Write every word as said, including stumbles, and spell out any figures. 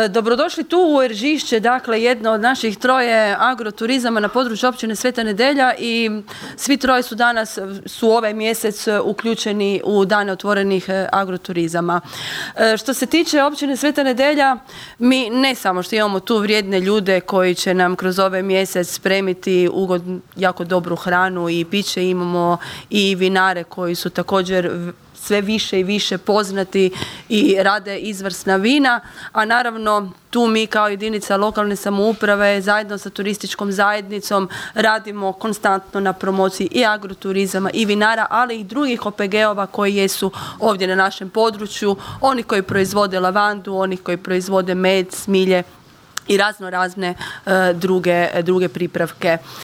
Dobrodošli tu u Eržišće, dakle jedno od naših troje agroturizama na području općine Sveta Nedelja i svi troje su danas, su ovaj mjesec uključeni u dane otvorenih agroturizama. Što se tiče općine Sveta Nedelja, mi ne samo što imamo tu vrijedne ljude koji će nam kroz ovaj mjesec spremiti ugod, jako dobru hranu i piće, imamo i vinare koji su također sve više i više poznati i rade izvrsna vina, a naravno tu mi kao jedinica lokalne samouprave zajedno sa turističkom zajednicom radimo konstantno na promociji i agroturizama i vinara, ali i drugih O P G-ova koji jesu ovdje na našem području, oni koji proizvode lavandu, oni koji proizvode med, smilje i razno razne uh, druge, druge pripravke.